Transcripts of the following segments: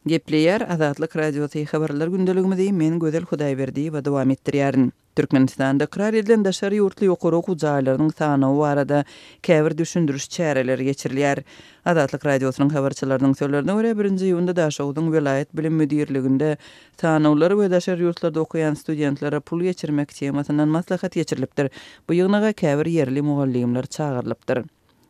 Gepleýär Azatlyk Radiosy Habarlar gündeligimizi men Gözel Hudaýberdiýewa dowam etdirýärin. Türkmenistanda ykrar edilen daşary ýurtly ýokary okuw jaýlarynyň sanawy barada käbir düşündiriş çäreleri geçirilýär. Azatlyk Radiosynyň habarçylarynyň sözlerine görä, birinji iýunda Daşogzuň welaýat bilim müdirliginde sanawlar we daşary ýurtlarda okaýan studentlere pul geçirmek temasyndan maslahat geçirilipdir. Bu ýygnaga käbir ýerli mugallymlar çagyrylypdyr.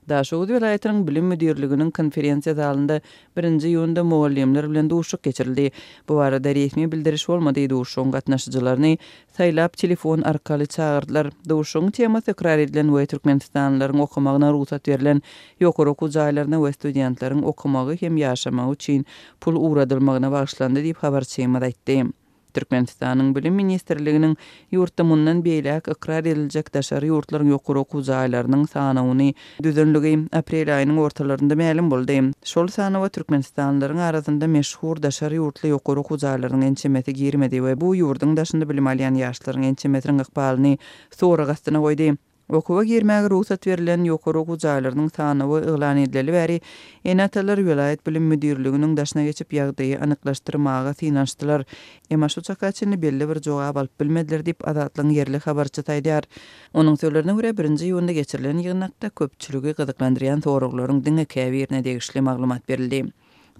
Daşoguz welaýatynyň bilim müdirliginiň konferensiýa zalynda birinji iýunda mugallymlar bilen duşuşyk geçirildi. Bu barada resmi bildiriş bolmady, duşuşygyň gatnaşyjylaryny saýlap telefon arkaly çagyrdylar. Duşuşygyň temasy ykrar edilen we türkmenistanlylaryň okamagyna rugsat berlen ýokary okuw jaýlaryna we studentleriň okamagy hem ýaşamagy üçin pul ugradylmagyna bagyşlandy diýip, habarçymyz aýtdy. Türkmenistanyň Bilim ministrliginiň ýurtda mundan beýläk ykrar ediljek daşary ýurtlaryň ýokary okuw jaýlarynyň sanawyny düzenligi aprel aýynyň ortalarynda mälim boldy. Şol sanawa türkmenistanlylaryň arasynda meşhur daşary ýurtly ýokary okuw jaýlarynyň ençemesi girmedi we bu ýurduň daşynda bilim alýan ýaşlaryň ençemesiniň ykbalyny sorag astyna goýdy. Okuwa girmäge rugsat berlen ýokary okuw jaýlarynyň sanawy yglan edileli bäri, ene-atalar welaýat bilim müdirliginiň daşyna geçip, ýagdaýy anyklaşdyrmaga synanyşdylar. Emma şu çaka çenli belli bir jogap alyp bilmediler diýip, Azatlygyň ýerli habarçysy aýdýar. Onuň sözlerine görä, birinji iýunda geçirilen ýygnakda köpçüligi gyzyklandyrýan soraglaryň diňe käbirine degişli maglumat berildi.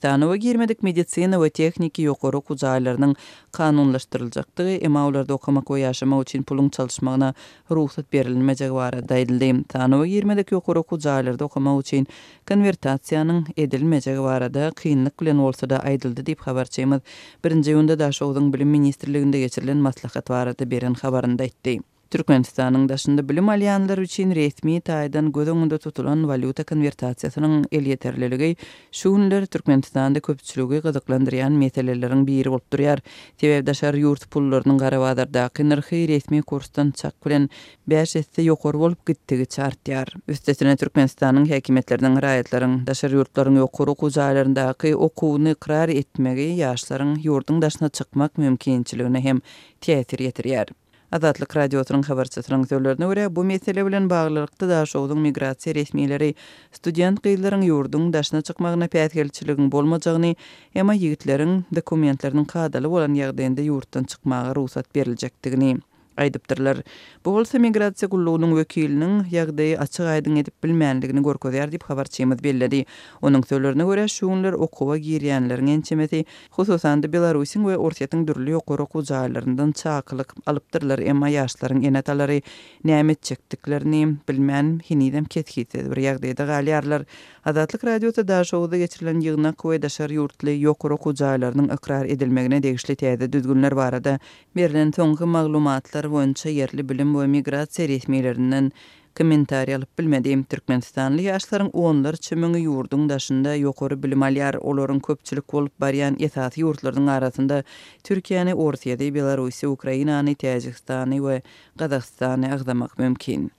Sanawa girmedik medisina we tehniki ýokary okuw jaýlarynyň kanunlaşdyryljakdygy, emma olarda okamak we ýaşamak üçin puluň çalyşmagyna rugsat berilmejegi barada aýdyldy. Sanawa girmedik ýokary okuw jaýlarda okamak üçin konwertasiýanyň edilmejegi barada kynlyk bilen bolsa-da aýdyldy diýip, habarçymyz birinji iýunda Daşogzuň Bilim ministrliginde geçirilen maslahat barada beren habarynda aýtdy. Türkmenistanyň daşynda bilim alýanlar üçin resmi taýdan göz öňünde tutulan walýuta konwertasiýasynyň elýeterliligi şu günler Türkmenistanda köpçüligi gyzyklandyrýan meseleleriň biri bolup durýar. Sebäbi daşary ýurt pullarynyň gara bazardaky nyrhy resmi kursdan çak bilen bäş esse ýokary bolup gitdigiçe artýar. Üstesine Türkmenistanyň häkimiýetleriniň raýatlaryň daşary ýurtlaryň ýokary okuw jaýlaryndaky okuwyny ykrar etmegi ýaşlaryň ýurduň daşyna çykmak mümkinçiligine hem täsir ýetirýär. Azatlyk Radiosynyň habarçysynyň sözlerine görä, bu mesele bilen baglylykda Daşogzuň migrasiýa resmileri student gyzlaryň ýurduň daşyna çykmagyna päsgelçiligiň bolmajagyny, emma ýigitleriň dokumentleriniň kadaly bolan ýagdaýynda ýurtdan çykmaga rugsat beriljekdigini aýdypdyrlar. Bu bolsa migrasiýa gullugynyň wekiliniň ýagdaýy açyk-aýdyň edip bilmänligini görkezýär diýip, habarçymyz belledi. Onuň sözlerine görä, şu günler okuwa girýänleriň ençemesi Hususan-da, Belarusyň we Orsýetiň dürli ýokary okuw jaýlaryndan çakylyk alypdyrlar, emma ýaşlaryň ene-atalary näme etjekdiklerini bilmän, henizem kesgitsiz bir ýagdaýda galýarlar. Azatlyk Radiosy Daşoguzda geçirilen ýygnak we daşary ýurtly ýokary okuw jaýlarynyň ykrar edilmegine degişli täze düzgünler barada berlen soňky maglumatlar boýunça ýerli bilim we migrasiýa resmilerinden kommentariý alyp bilmedi. Türkmenistanly ýaşlaryň onlarça müňi ýurduň daşynda ýokary bilim alýar. Olaryň köpçülik bolup barýan esasy ýurtlarynyň arasynda Türkiýäni, Orsýeti, Belarusy, Ukrainany, Täjigistany we Gazagystany agzamak mümkin.